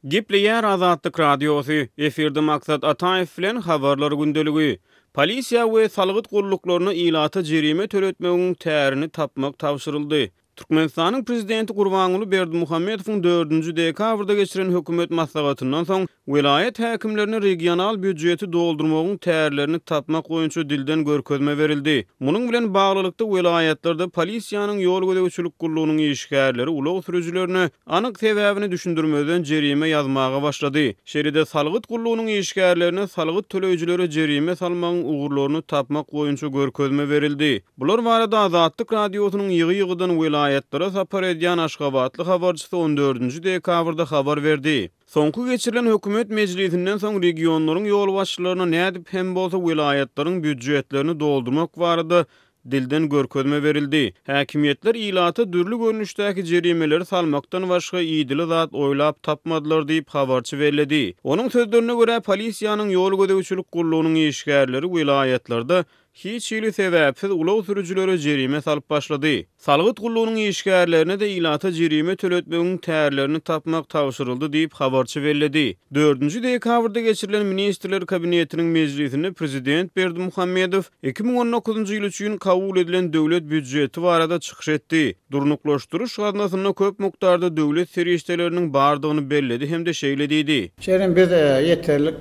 Gepleýär Azatlyk Radiosy, efirde Maksat Ataýew bilen Habarlar gündeligi. Polisiýa we salgyt gulluklaryna ilata jerime töletmegiň tärini tapmak tabşyryldy. Türkmenistanyň Prezidenti Gurbanguly Berdimuhamedowyň dördünji dekabrda geçiren hökümet maslahatyndan soň, welaýat häkimlerine regional býujeti doldurmagyň tärlerini tapmak boýunça dilden görkezme berildi. Munuň bilen baglylykda, welaýatlarda polisiýanyň ýol gözegçilik gullugynyň işgärleri ulag sürüjilerine anyk sebäbini düşündirmezden jerime ýazmaga başlady. Şeýle-de salgyt gullugynyň işgärlerine salgyt töleýjilere jerime salmagyň ugurlaryny tapmak boýunça görkezme berildi. Bular barada Azatlyk Radiosynyň ýygy-ýygydan welaýatlara sapar edýän aşgabatly habarçysy on dördünji dekabrda habar berdi. Soňky geçirilen hökümet mejlisinden soň regionlaryň ýolbaşçylaryna nädip hem bolsa welaýatlaryň býujetlerini doldurmak barada dilden görkezme berildi. Häkimiýetler ilata dürli görnüşdäki jerimeleri salmakdan başga idili zat oýlap tapmadylar diýip, habarçy belledi. Onuň sözlerine görä, polisiýanyň ýol gözegçilik gullugynyň işgärleri welaýatlarda hiç hili sebäpsiz ulag sürüjilere jerime salyp başlady. Salgyt gullugynyň işgärlerine-de ilata jerime töletmegiň tärlerini tapmak tabşyryldy diýip, habarçy belledi. Dördünji dekabrda geçirilen Ministrler Kabinetiniň mejlisinde prezident Berdimuhamedow 2019-njy ýyl üçin kabul edilen döwlet býujeti barada çykyş etdi. Durnuklaşdyryş gaznasynda köp mukdarda döwlet serişdeleriniň bardygyny belledi hem-de şeýle diýdi. Şeýle hem biz ýeterlik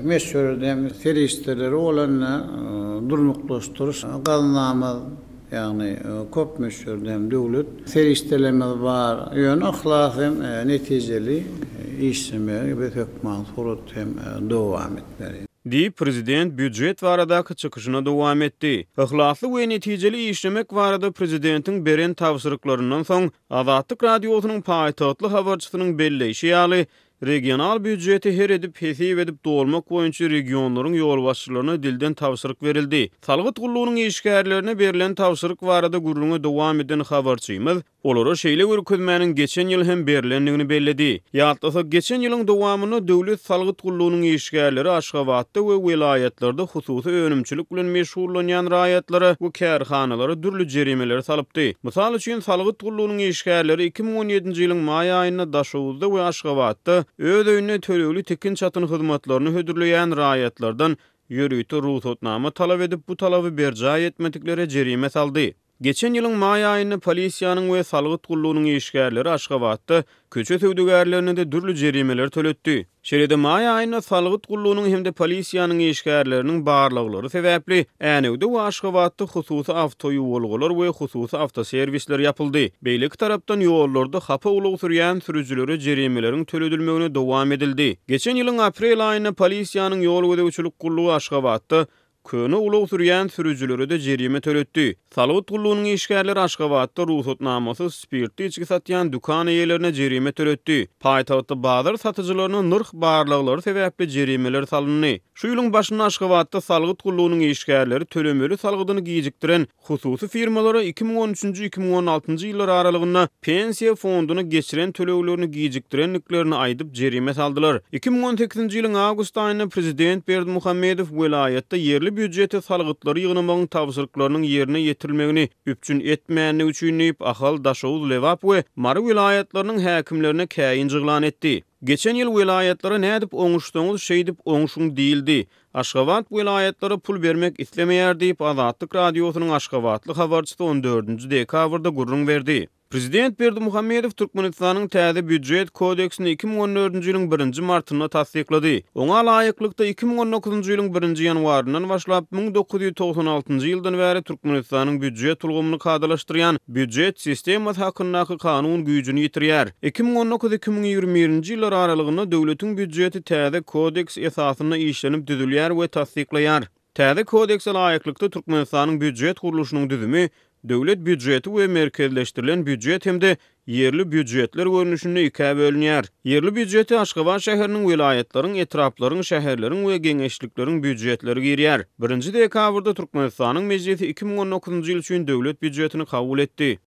möçberde hem serişdeleri bolan durnuklaşdyryş gaznamyz, ýagny köp möçberde hem döwlet serişdelerimiz bar. Ýöne yhlas hem netijeli işlemegi biz hökman suratda hem dowam etmeli. Diýip, prezident býujet baradaky çykyşyna dowam etdi. Yhlasly we netijeli işlemek barada prezidentiň beren tabşyryklaryndan soň, Azatlyk Radiosynyň paýtagtly habarçysynyň belleýşi ýaly, regional býujeti her edip, hesip edip dolmak boýunça regionlaryň ýolbaşçylaryna dilden tabşyryk berildi. Salgyt gullugynyň işgärlerine berlen tabşyryk barada gürrüňe dowam eden habarçymyz, Olara şeýle görkezmäniň geçen ýyl hem berlendigini belledi. Ýatlasak, geçen ýylyň dowamynda Döwlet salgyt gullugynyň işgärleri Aşgabatda we welaýatlarda hususy önümçilik bilen meşgullanýan raýatlara we kärhanalara dürli jerimeleri salypdy. Mysal üçin, salgyt gullugynyň işgärleri 2017-nji ýylyň maý aýynda Daşoguzda we Aşgabatda öz öýünde tölegli tikin-çatyn hyzmatlaryny hödürleýän raýatlardan ýörite rugsatnama talap edip, bu talaby berjaý etmediklere jerime saldy. Geçen ýylyň maý aýynda polisiýanyň we salgyt gullugynyň işgärleri Aşgabatda köçe söwdagärlerine-de dürli jerimeleri töletdi. Şeýle-de maý aýynda salgyt gullugynyň hem-de polisiýanyň işgärleriniň barlaglary sebäpli Änewde we Aşgabatda hususy awtoýuwalgalar we hususy awtoserwisler ýapyldy. Beýleki tarapdan ýollarda hapa ulag sürýän sürüjilere jerimeleriň töledilmegine dowam edildi. Geçen ýylyň aprel aýynda polisiýanyň ýol gözegçilik gullugy Aşgabatda Köne ulag sürýän sürüjilere-de jerime töletdi. Salgyt gullugynyň işgärleri Aşgabatda rugsatnamasyz spirtli içgi satýan dükan eýelerine jerime töletdi. Paýtagtda bazar satyjylaryna nyrh barlaglary sebäpli jerimeler salyndy. Şu ýylyň başynda Aşgabatda salgyt gullugynyň işgärleri tölemeli salgydyny gijikdiren Hususy firmalara 2013-nji, 2016-njy ýyllar aralygynda Pensiýa fonduna geçiren töleglerini gijikdirendiklerini aýdyp, jerime saldylar. 2018-nji ýylyň awgust aýynda prezident Berdimuhamedow welaýatda ýerli býujete salgytlary ýygnamagyň tabşyryklarynyň ýerine ýetirilmegini üpjün etmändigi üçin diýip, Ahal, Daşoguz, Lebap we Mary welaýatlarynyň häkimlerine käýinç yglan etdi. Geçen ýyl welaýatlara nädip oňuşsaňyz, şeýdip oňşuň diýildi. Aşgabat welaýatlara pul bermek islemeýär diýip, Azatlyk Radiosynyň aşgabatly habarçysy on dördünji dekabrda gürrüň berdi. Prezident Berdimuhamedow Türkmenistanyň täze Býujet kodeksini 2014-nji ýylyň birinji martynda tassyklady. Oňa laýyklykda, 2019-njy ýylyň birinji ýanwaryndan başlap, 1996-njy ýyldan bäri Türkmenistanyň býujet ulgamyny kadalaşdyrýan Býujet sistemasy hakyndaky kanun güýjüni ýitirýär. 2019, 2021-nji ýyllar aralygynda döwletiň býujeti täze kodeks esasynda işlenip düzülýär we tassyklaýar. Täze kodekse laýyklykda Türkmenistanyň býujet gurluşynyň düzümi döwlet býujeti we merkezleşdirilen býujet hem-de ýerli býujetler görnüşinde ikä bölünýär. Ýerli býujete Aşgabat şäheriniň, welaýatlaryň, etraplaryň, şäherleriň we geňeşlikleriň býujetleri girýär. Birinji dekabrda Türkmenistanyň Mejlisi 2019-njy ýyl üçin döwlet býujetini kabul etdi.